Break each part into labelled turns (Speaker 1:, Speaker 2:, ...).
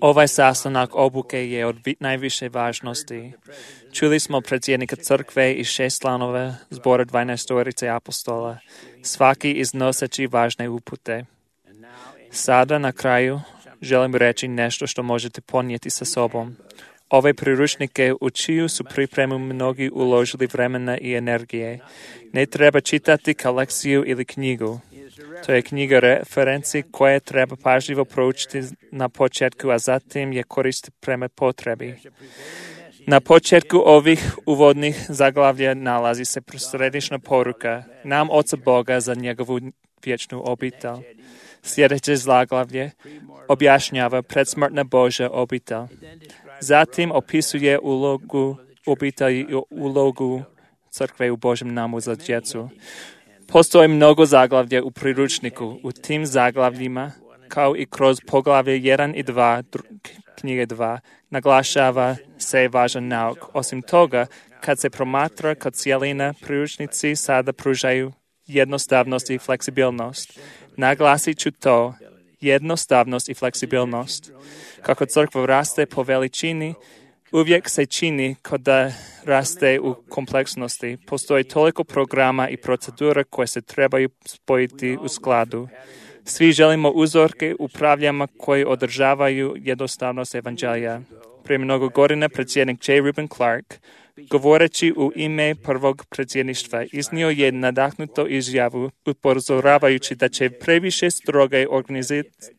Speaker 1: Ovaj sastanak obuke je od najviše važnosti. Čuli smo predsjednika crkve i 6 članova zbora 12 apostola, svaki iznoseći važne upute. Sada na kraju želim reći nešto što možete ponijeti sa sobom. Ove priručnike u čiju su pripremu mnogi uložili vremena i energije. Ne treba čitati kao lekciju ili knjigu. To je knjiga referenci koje treba pažljivo proučiti na početku, a zatim je koristiti prema potrebi. Na početku ovih uvodnih zaglavlja nalazi se središnja poruka nam Oca Boga za njegovu vječnu obitelj. Sljedeće zaglavlje objašnjava predsmrtna Božja obitelj. Zatim opisuje ulogu obitelji i ulogu crkve u Božjem namu za djecu. Postoji mnogo zaglavlja u priručniku. U tim zaglavljima, kao i kroz poglavlje 1 i 2, knjige 2, naglašava se važan nauk. Osim toga, kad se promatra kao cijelina, priručnici sada pružaju jednostavnost i fleksibilnost. Naglasit ću to, jednostavnost i fleksibilnost. Kako crkva raste po veličini, uvijek se čini kao da raste u kompleksnosti. Postoji toliko programa i procedura koje se trebaju spojiti u skladu. Svi želimo uzorke upravljama koji održavaju jednostavnost evanđelja. Prije mnogo godina predsjednik J. Reuben Clark, govoreći u ime prvog predsjedništva, iznio je nadahnuto izjavu upozoravajući da će previše stroge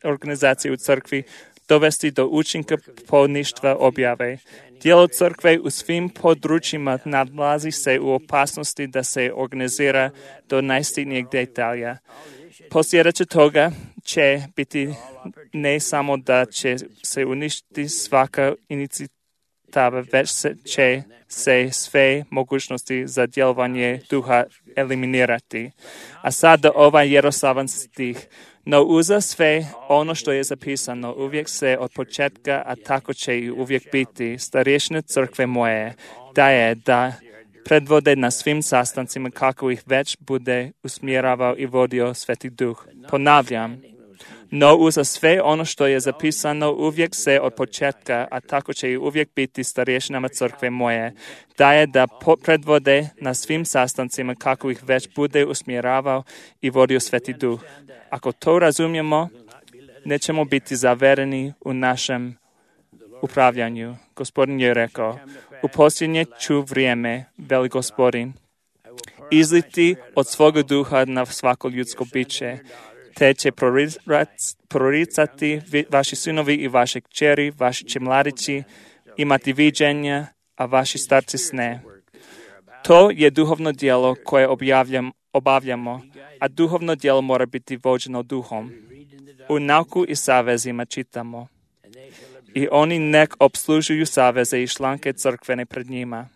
Speaker 1: organizacije u crkvi dovesti do učinka poništva objave. Djelo crkve u svim područjima nalazi se u opasnosti da se organizira do najsitnijeg detalja. Posljedice toga će biti ne samo da će se uništiti svaka inicijativa, već će se sve mogućnosti za djelovanje duha eliminirati. A sada ovaj jednostavan stih. No uza sve ono što je zapisano uvijek se od početka, a tako će i uvijek biti, starješine crkve moje, da predvode na svim sastancima kako ih već bude usmjeravao i vodio Sveti Duh. Ponavljam, no uza sve ono što je zapisano uvijek se od početka, a tako će i uvijek biti starješinama crkve moje, da predvode na svim sastancima kako ih već bude usmjeravao i vodio Sveti Duh. Ako to razumijemo, nećemo biti zavereni u našem upravljanju. Gospodin je rekao, u posljednje ću vrijeme, veli Gospodin, izliti od svoga duha na svako ljudsko biće, te će proricati vaši sinovi i vaše kćeri, vaši će mladići imati viđenja, a vaši starci sne. To je duhovno djelo koje obavljamo, a duhovno djelo mora biti vođeno duhom. U nauku i savezima čitamo. I oni nek obslužuju saveze i članke crkvene pred njima.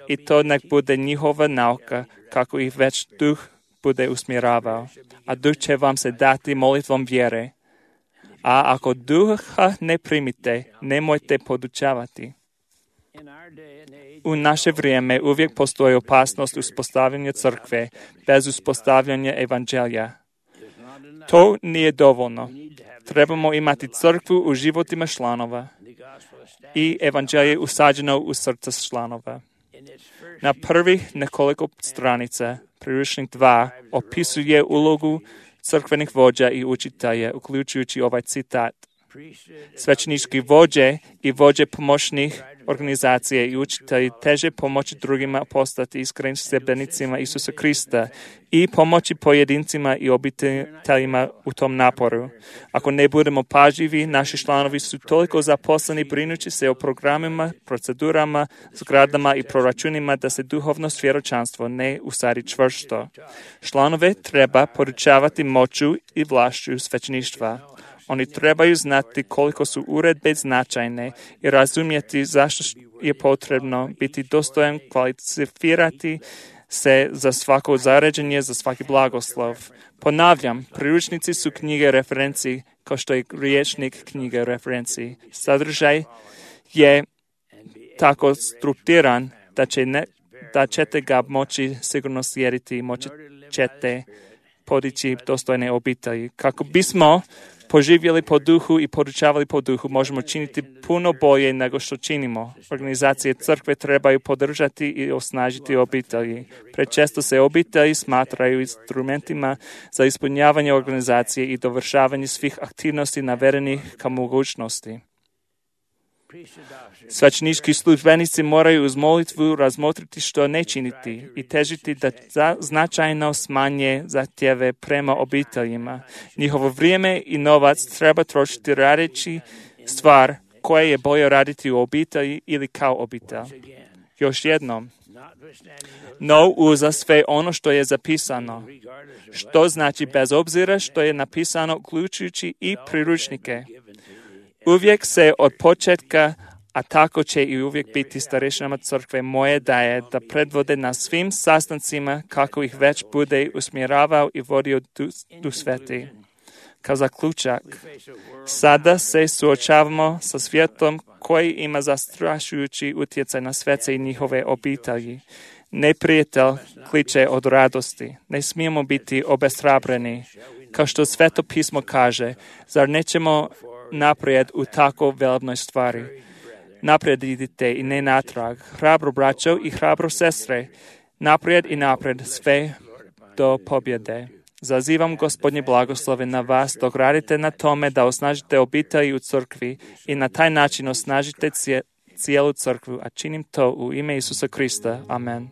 Speaker 1: I to nek bude njihova nauka, kako ih već duh bude usmjeravao. A duh će vam se dati molitvom vjere. A ako duha ne primite, nemojte podučavati. U naše vrijeme uvijek postoji opasnost uspostavljanja crkve bez uspostavljanja evanđelja. To nije dovoljno. Trebamo imati crkvu u životima članova i evanđelje usađeno u srca članova. Na prvih nekoliko stranica priručnik 2 opisuje ulogu crkvenih vođa i učitelja, uključujući ovaj citat. Svećenički vođe i vođe pomoćnih organizacije i učitelji teže pomoći drugima postati iskrenim sljedbenicima Isusa Krista i pomoći pojedincima i obiteljima u tom naporu. Ako ne budemo pažljivi, naši članovi su toliko zaposleni brinući se o programima, procedurama, zgradama i proračunima da se duhovno svjedočanstvo ne usadi čvrsto. Članove treba podučavati moću i vlašću svećeništva. Oni trebaju znati koliko su uredbe značajne i razumjeti zašto je potrebno biti dostojan kvalificirati se za svako zaređenje, za svaki blagoslov. Ponavljam, priručnici su knjige referenci kao što je rječnik knjige referenci. Sadržaj je tako strukturiran da ćete ga moći sigurno slijediti i moći ćete podići dostojne obitelji. Kako bismo poživjeli po duhu i podučavali po duhu, možemo činiti puno bolje nego što činimo. Organizacije crkve trebaju podržati i osnažiti obitelji. Prečesto se obitelji smatraju instrumentima za ispunjavanje organizacije i dovršavanje svih aktivnosti navedenih kao mogućnosti. Svećenički službenici moraju uz molitvu razmotriti što ne činiti i težiti da značajno smanje zahtjeve prema obiteljima. Njihovo vrijeme i novac treba trošiti radeći stvar koje je bolje raditi u obitelji ili kao obitelj. Još jednom, no uza sve ono što je zapisano, što znači bez obzira što je napisano uključujući i priručnike. Uvijek se od početka, a tako će i uvijek biti starešinama crkve moje daje da predvode na svim sastancima kako ih već bude usmjeravao i vodio Duh Sveti. Kao zaključak, sada se suočavamo sa svijetom koji ima zastrašujući utjecaj na svece i njihove obitelji. Neprijatelj kliče od radosti. Ne smijemo biti obeshrabreni. Kao što Sveto pismo kaže, zar nećemo naprijed u tako velebnoj stvari? Naprijed idite i ne natrag. Hrabro braćo i hrabro sestre. Naprijed i naprijed sve do pobjede. Zazivam Gospodnje blagoslove na vas dok radite na tome da osnažite obitelji u crkvi i na taj način osnažite cijelu crkvu, a činim to u ime Isusa Krista. Amen.